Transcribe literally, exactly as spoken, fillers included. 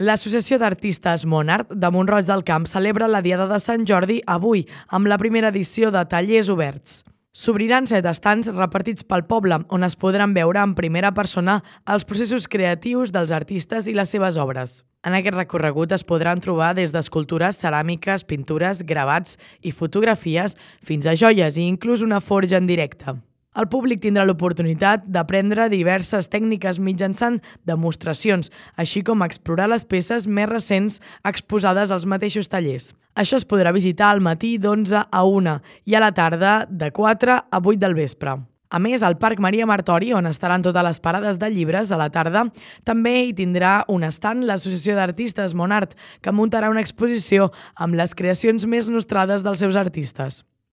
L'Associació d'Artistes Monart de Mont-roig del Camp celebra la Diada de Sant Jordi avui, amb la primera edició de Tallers Oberts. S'obriran set estants repartits pel poble, on es podran veure en primera persona els processos creatius dels artistes i les seves obres. En aquest recorregut es podran trobar des d'escultures, ceràmiques, pintures, gravats i fotografies fins a joies i inclús una forja en directe. El públic tindrà l'oportunitat d'aprendre diverses tècniques mitjançant demostracions, així com explorar les peces més recents exposades als mateixos tallers. Això es podrà visitar al matí d'onze a una i a la tarda de quatre a vuit del vespre. A més, al Parc Maria Martori, on estaran totes les parades de llibres a la tarda, també hi tindrà un estand l'Associació d'Artistes Monart, que muntarà una exposició amb les creacions més nostrades dels seus artistes.